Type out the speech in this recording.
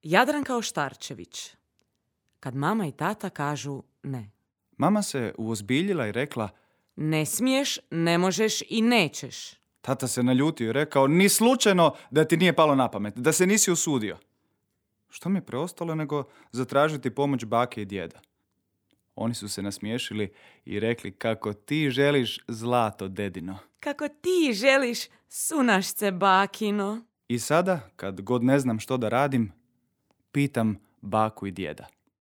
Jadranka Oštarčević. Kad mama i tata kažu ne. Mama se uozbiljila i rekla: Ne smiješ, ne možeš i nećeš. Tata se naljutio i rekao: ni slučajno da ti nije palo na pamet, da se nisi usudio. Što mi je preostalo nego zatražiti pomoć bake i djeda? Oni su se nasmiješili i rekli: kako ti želiš, zlato dedino. Kako ti želiš, sunašce bakino. I sada, kad god ne znam što da radim, pitam baku i djeda: